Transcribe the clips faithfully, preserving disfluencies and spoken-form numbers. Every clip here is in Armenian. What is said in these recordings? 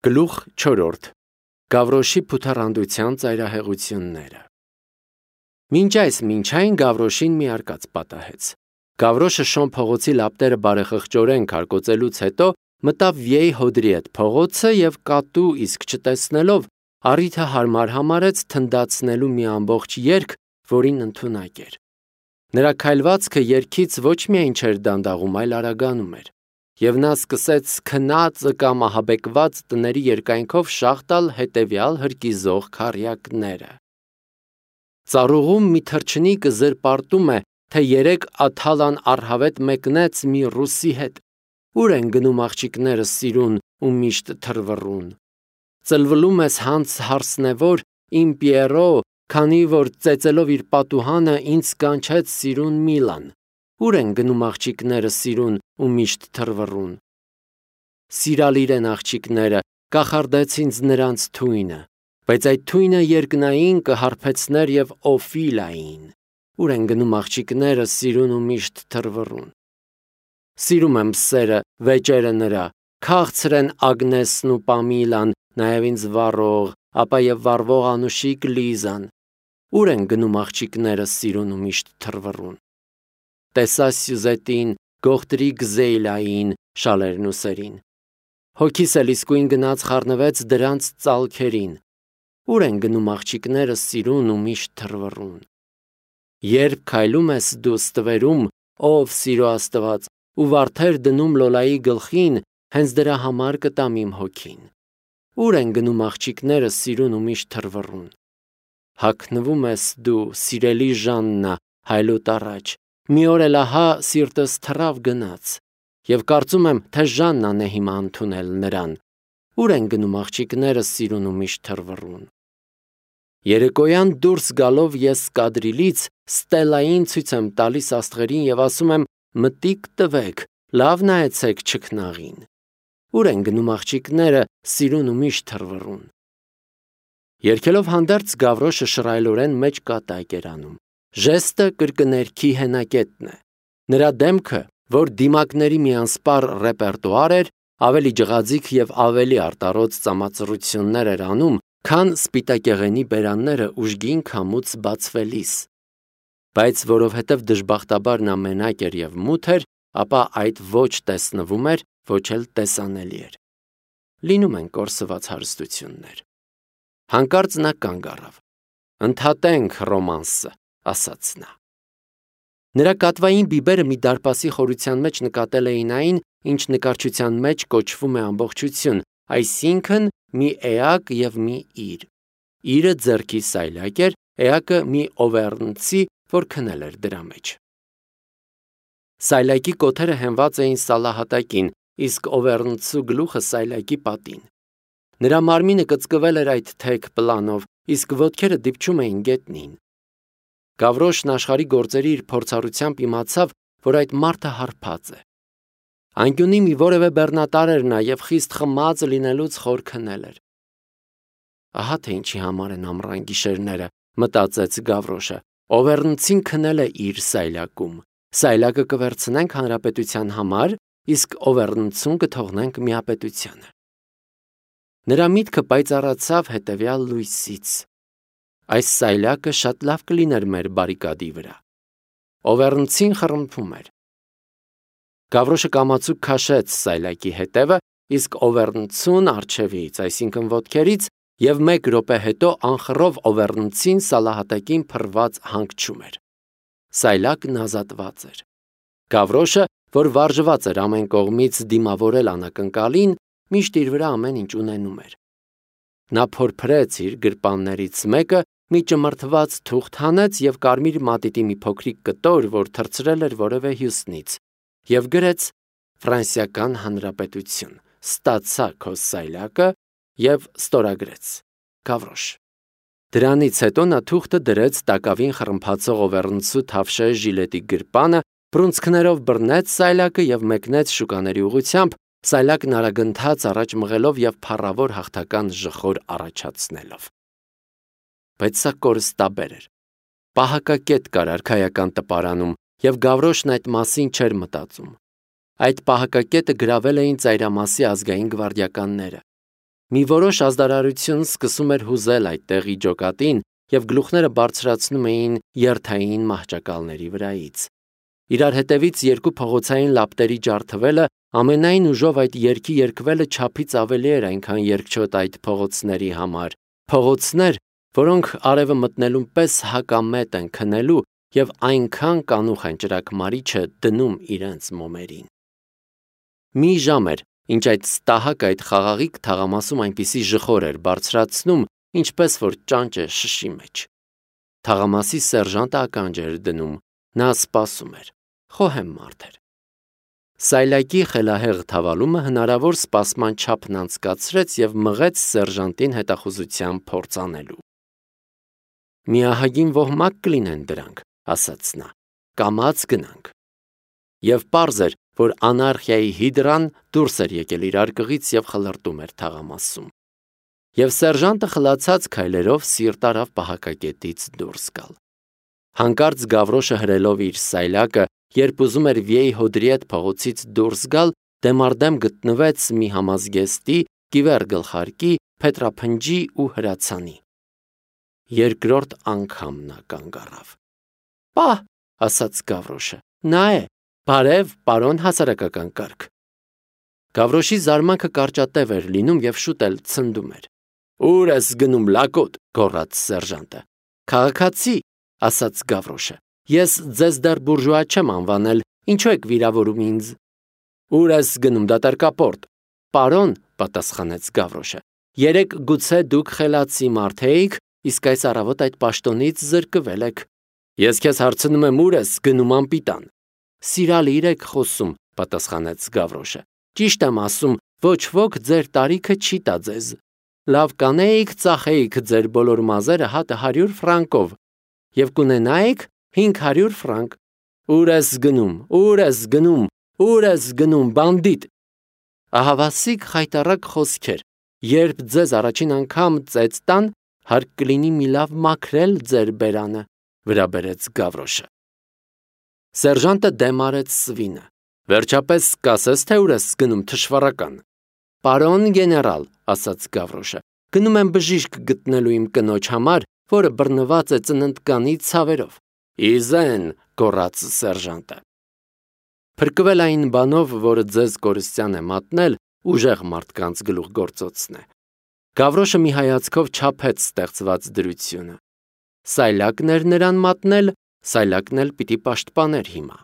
Գլուխ չորրորդ. Գավրոշի փութառանդության ծայրահեղությունները։ Մինչ այս մինչային Գավրոշին մի արկած պատահեց։ Գավրոշը Շոն փողոցի լապտերը բարեխղճորեն քարկոծելուց հետո մտավ Վիեի հոդրի հետ փողոցը և կատու իսկ չտեսնելով առիթը հարմար համարեց թնդացնելու մի ամբողջ երգ, որին ընդունակ էր։ Նրա քայլվածքը երգից ոչ միայն չէր դանդաղում, այլ արագանում էր, և նա սկսեց քնածը կամ ահաբեկված տների երկայնքով շաղ տալ հետևյալ հրկիզող քառյակները։ Ծառուղում մի թռչնիկը զրպարտում է, թե երեկ Աթալան առհավետ մեկնեց մի ռուսի հետ։ Ուր են գնում աղջիկներս սիրուն ու միշտ թռվռուն։ Ծլվլում ես հանց հարսնևոր, իմ Պիերո, քանի որ ծեծելով իր պատուհանը ինձ կանչեց սիրուն Միլան։ Ուր են գնում աղջիկներս սիրուն ու միշտ թռվռուն։ Սիրալիր են աղջիկները, կախարդեց ինձ նրանց թույնը, բայց այդ թույնը երկնային կհարբեցներ և Օֆիլային։ Ուր են գնում աղջիկներս սիրուն ու միշտ թռվռուն։ Սիրում եմ սերը, վեճերը նրա, քաղցր են Ագնեսն ու Պամիլան, նաև ինձ վառող, ապա և վառվող անուշիկ Լիզան։ Ուր են գնում աղջիկներս սիրուն ու միշտ թռվռուն։ Տեսա Սյուզետին, գողտրի Գզեյլային, շալերն ու սերին։ Հոգիս էլ իսկույն գնաց խառնվեց դրանց ծալքերին։ Ուր են գնում աղջիկներս սիրուն ու միշտ թռվռուն։ Երբ քայլում ես դու ստվերում, ով սիրո Աստված, ու վարդեր դնում Լոլայի գլխին, հենց դրա համար կտամ իմ հոգին։ Ուր են գնում աղջիկներս սիրուն ու միշտ թռվռուն։ Հագնվում ես դու, սիրելի Ժաննա, հայլուտ առաջ, մի օր էլ ահա սիրտս թռավ գնաց, և կարծում եմ, թե Ժաննան է հիմա ընդունել նրան։ Ուր են գնում աղջիկներս սիրուն ու միշտ թռվռուն։ Երեկոյան դուրս գալով ես կադրիլից Ստելլային ցույց եմ տալիս աստղերին և ասում եմ. մտիկ տվեք, լավ նայեցեք չքնաղին։ Ուր են գնում աղջիկները սիրուն ու միշտ թռվռուն։ Երգելով հանդերձ Գավրոշը շռայլորեն մեջ կատակ էր անում։ Ժեստը կրկներքի հենակետն է։ Նրա դեմքը, որ դիմակների մի անսպառ ռեպերտուար էր, ավելի ջղաձիգ և ավելի արտառոց ծամածռություններ էր անում, քան սպիտակեղենի բերանները ուժգին քամուց բացվելիս։ Բայց որովհետև դժբախտաբար նա մենակ էր և մութ էր, ապա այդ ոչ տեսնվում էր, ոչ էլ տեսանելի էր։ Լինում են կորսված հարստություններ։ Հանկարծ նա կանգ առավ։ «Ընդհատենք ռոմանսը», ասաց նա։ Նրա կատվային բիբերը մի դարպասի խորության մեջ նկատել էին այն, ինչ նկարչության մեջ կոչվում է ամբողջություն, այսինքն մի էակ և մի իր։ Իրը ձեռքի սայլակ էր, էակը մի օվեռնցի, որ քնել էր դրա մեջ։ Սայլակի կոթերը հենված էին սալահատակին, իսկ օվեռնցու գլուխը սայլակի պատին։ Նրա մարմինը կծկվել էր այդ թեք պլանով, իսկ ոտքերը դիպչում էին գետնին։ Գավրոշն աշխարհի գործերի իր փորձառությամբ իմացավ, որ այդ մարդը հարբած է։ Անկյունի մի որևէ բեռնատար էր նա և խիստ խմած լինելուց խոր քնել էր։ Ահա թե ինչի համար են ամռան գիշերները, մտածեց Գավրոշը։ Օվեռնցին քնել է իր սայլակում։ Սայլակը կվերցնենք հանրապետության համար, իսկ օվեռնցուն կթողնենք միապետությանը։ Նրա միտքը պայծառացավ հետևյալ լույսից. այս սայլակը շատ լավ կլիներ մեր բարիկադի վրա։ Օվեռնցին խռմփում էր։ Գավրոշը կամացուկ քաշեց սայլակի հետևը, իսկ օվեռնցուն առջևից, այսինքն ոտքերից, և մեկ րոպե հետո անխռով օվեռնցին սալահատակին փռված հանգչում էր։ Սայլակն ազատված էր։ Գավրոշը, որ վարժված էր ամեն կողմից դիմավորել անակնկալին, միշտ իր վրա ամեն ինչ ունենում էր։ Նա փորփրեց իր գրպաններից մեկը, մի ճմրթված թուղթ հանեց և կարմիր մատիտի մի փոքրիկ կտոր, որ թռցրել էր որևէ հյուսնից, և գրեց Ֆրանսիական Հանրապետություն, ստացա քո սայլակը և ստորագրեց Գավրոշ։ Դրանից հետո նա թուղթը դրեց տակավին խռմփացող օվեռնցու թավշե ժիլետի գրպանը, բռունցքներով բռնեց սայլակը և մեկնեց շուկաների ուղղությամբ, սայլակն արագընթաց առաջ մղելով և փառավոր հաղթական ժխոր առաջացնելով։ Բայց սա կորստաբեր էր։ Պահակակետ կար արքայական տպարանում, և Գավրոշն այդ մասին չէր մտածում։ Այդ պահակակետը գրավել էին ծայրամասի ազգային գվարդիականները։ Մի որոշ ազդարարություն սկսում էր հուզել այդ տեղի ջոկատին և գլուխները բարձրացնում էին երթային մահճակալների վրայից։ Իրար հետևից երկու փողոցային լապտերի ջարդվելը, ամենայն ուժով այդ երգի երգվելը չափից ավելի էր այնքան երկչոտ այդ փողոցների համար, փողոցներ, որոնք արևը մտնելուն պես հակամետ են քնելու և այնքան կանուխ են ճրագմարիչը դնում իրենց մոմերին։ Մի ժամ էր, ինչ այդ ստահակը այդ խաղաղիկ թաղամասում այնպիսի ժխոր էր բարձրացնում, ինչպես որ ճանճ է շշի մեջ։ Թաղամասի սերժանտը ականջ էր դնում, նա սպասում էր, խոհեմ մարդ էր։ Սայլակի խելահեղ թավալումը հնարավոր սպասման չափն անցկացրեց և մղեց սերժանտին հետախուզության փորձ անելու։ Մի ահագին ոհմակ կլինեն դրանք, ասաց նա, կամաց գնանք։ Եվ պարզ էր, որ անարխիայի հիդրան դուրս էր եկել իր արկղից և խլրտում էր թաղամասում։ Եվ սերժանտը խլացած քայլերով սիրտ արավ պահակակետից դուրս գալ։ Հանկարծ Գավրոշը հրելով իր սայլակը, երբ ուզում էր Վիեյ Հոդրիետ փողոցից դուրս գալ, դեմառդեմ գտնվեց մի համազգեստի, կիվեռ գլխարկի, փետրափնջի ու հրացանի։ Երկրորդ անգամ նա կանգ առավ։ «Պահ», ասաց Գավրոշը, նա է, բարև, պարոն հասարակական կարգ։ Գավրոշի զարմանքը կարճատև էր լինում և շուտ էլ ցնդում էր։ «Ուր ես գնում, լակոտ», գոռաց սերժանտը։ «Քաղաքացի», ասաց Գավրոշը, ես ձեզ դեռ բուրժուա չեմ անվանել, ինչու եք վիրավորում ինձ։ «Ուր ես գնում, դատարկապորտ», պարոն, պատասխանեց Գավրոշը, երեկ գուցե դուք խելացի մարդ էիք, իսկ այս առավոտ այդ պաշտոնից զրկվել եք։ Ես քեզ հարցնում եմ, ուր ես գնում, անպիտան։ Սիրալիր եք խոսում, պատասխանեց Գավրոշը։ Ճիշտ եմ ասում, ոչ ոք ձեր տարիքը չի տա ձեզ։ Լավ կանեիք, ծախեիք ձեր բոլոր մազերը հատը հարյուր ֆրանկով և կունենայիք հինգ հարյուր ֆրանկ։ Ուր ես գնում, ուր ես գնում, ուր ես գնում, բանդիտ։ Ահավասիկ խայտառակ խոսքեր, երբ ձեզ առաջին անգամ ծեծ տան, հարկ կլինի մի լավ մաքրել ձեր բերանը, վրա բերեց Գավրոշը։ Սերժանտը դեմ արեց սվինը։ Վերջապես կասես, թե ուր ես գնում, թշվառական։ Պարոն գեներալ, ասաց Գավրոշը, գնում եմ բժիշկ գտնելու իմ կնոջ համար, որը բռնված է ծննդկանի ցավերով։ Իզեն, գոռաց սերժանտը։ Փրկվել այն բանով, որը ձեզ կորստյան է մատնել, ուժեղ մարդկանց գլուխգործոցն է։ Գավրոշը մի հայացքով չափեց ստեղծված դրությունը։ Սայլակն էր նրան մատնել, սայլակն էլ պիտի պաշտպաներ հիմա։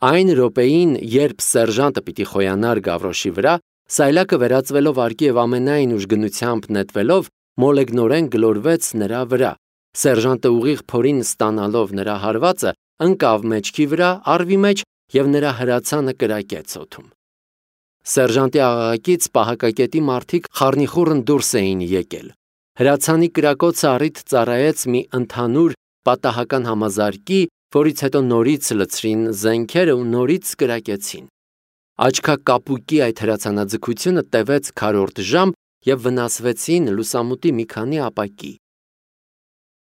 Այն րոպեին, երբ սերժանտը պիտի խոյանար Գավրոշի վրա, սայլակը վերածվելով արկի և ամենայն ուժգնությամբ նետվելով, մոլեգնորեն գլորվեց նրա վրա։ Սերժանտը ուղիղ փորին ստանալով նրա հարվածը, ընկավ մեջքի վրա, առվի մեջ և նրա հրացանը կրակեց օդում։ Սերժանտի աղաղակից պահակակետի մարդիկ խառնիխուռն դուրս էին եկել։ Հրացանի կրակոցը առիթ ծառայեց մի ընդհանուր պատահական համազարկի, որից հետո նորից լցրին զենքերը ու նորից կրակեցին։ Աչքակապուկի այդ հրացանաձգությունը տևեց քառորդ ժամ և վնասվեցին լուսամուտի մի քանի ապակի։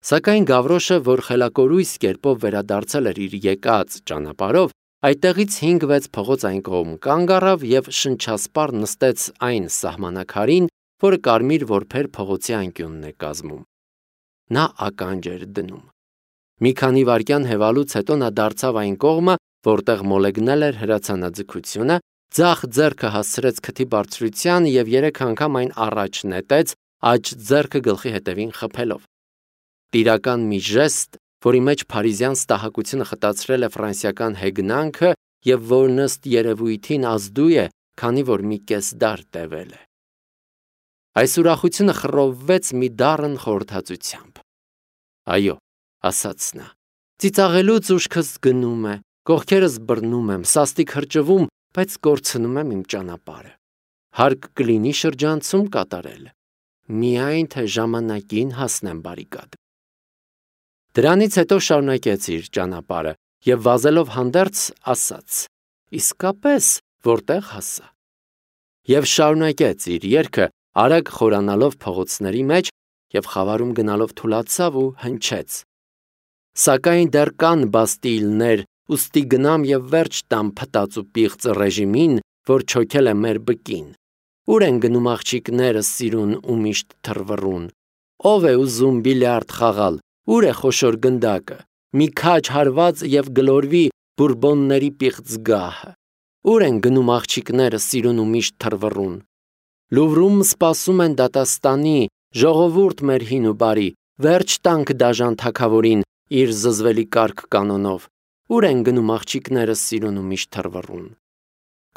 Սակայն Գավրոշը, որ խելակորույս կերպով վերադարձել էր իր եկած ճանապարհով, այդտեղից հինգ-վեց փողոց այն կողմ կանգ առավ և շնչասպառ նստեց այն սահմանակարին, որը կարմիր որբեր փողոցի անկյունն է կազմում։ Նա ականջ էր դնում։ Մի քանի վայրկյան հևալուց հետո նա դարձավ այն կողմը, որտեղ մոլեգնել էր հրացանաձգությունը, ձախ ձեռքը հասցրեց քթի բարձրության և երեք անգամ այն առաջ նետեց, աջ ձեռքը գլխի հետևին խփելով։ Տիրական մի ժեստ, որի մեջ փարիզյան ստահակությունը խտացրել է ֆրանսիական հեգնանքը և որն ըստ երևույթին ազդու է, քանի որ մի կես դար տևել է։ Այս ուրախությունը խռովվեց մի դառն խորհրդածությամբ։ Այո, ասաց նա, ծիծաղելուց ուշքս գնում է, կողքերս բռնում եմ, սաստիկ հրճվում, բայց կորցնում եմ իմ ճանապարհը։ Հարկ կլինի շրջանցում կատարել, միայն թե ժամանակին հասնեմ բարիկադ։ Դրանից հետո շարունակեց իր ճանապարհը և վազելով հանդերձ ասաց. իսկապես որտեղ հասա։ Եվ շարունակեց իր երգը, արագ խորանալով փողոցների մեջ և խավարում գնալով թուլացավ ու հնչեց. Սակայն դեռ կան բաստիլներ, ուստի գնամ և վերջ տամ փտած ու պիղծ ռեժիմին, որ չոքել է մեր բկին։ Ուր են գնում աղջիկները սիրուն ու միշտ թռվռուն։ Ով է ուզում բիլիարդ խաղալ, ուր է խոշոր գնդակը, մի քաջ հարված և գլորվի բուրբոնների պիղծ գահը։ Ուր են գնում աղջիկները սիրուն ու միշտ թռվռուն։ Լուվրում սպասում են դատաստանի, ժողովուրդ մեր հին ու բարի, վերջ տանք դաժան թագավորին իր զզվելի կարգ կանոնով։ Ուր են գնում աղջիկները սիրուն ու միշտ թռվռուն։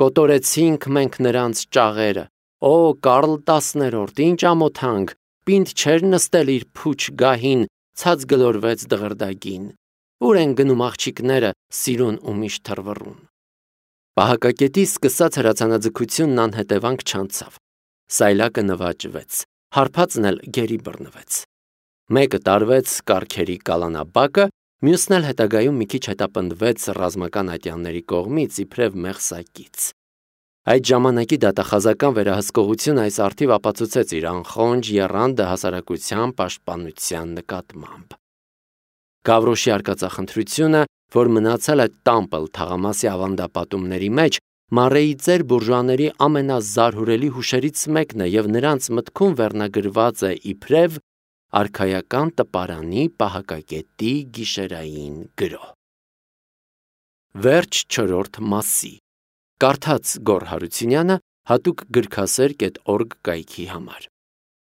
Կոտորեցինք մենք նրանց ճաղերը, օ Կարլ տասներորդ, ինչ ամոթանք, պինդ չէր նստել իր փուչ գահին, ցած գլորվեց դղրդագին։ Ուր են գնում աղջիկները սիրուն ու միշտ թռվռուն։ Պահակակետի սկսած հրացանաձգությունն անհետևանք չանցավ։ Սայլակը նվաճվեց, հարբածն էլ գերի բռնվեց։ Մեկը տարվեց կառքերի կալանաբակը, մյուսն էլ հետագայում մի քիչ հետապնդվեց ռազմական ատյանների կողմից իբրև մեղսակից։ Այդ ժամանակի դատախազական վերահսկողությունը այս առթիվ ապացուցեց իր անխոնջ եռանդը հասարակության պաշտպանության նկատմամբ։ Գավրոշի արկածախնդրությունը, որ մնացել է տամպլ թաղամասի ավանդապատումների մեջ, Մարեի ծեր բուրժուաների ամենազարհուրելի հուշերից մեկն է և նրանց մտքում վերնագրված է իբրև արքայական տպարանի պահակակետի գիշերային գրոհ։ Վերջ չորրորդ մասի։ Կարդաց Գոռ Հարությունյանը հատուկ գրքասեր կետ օրգ կայքի համար։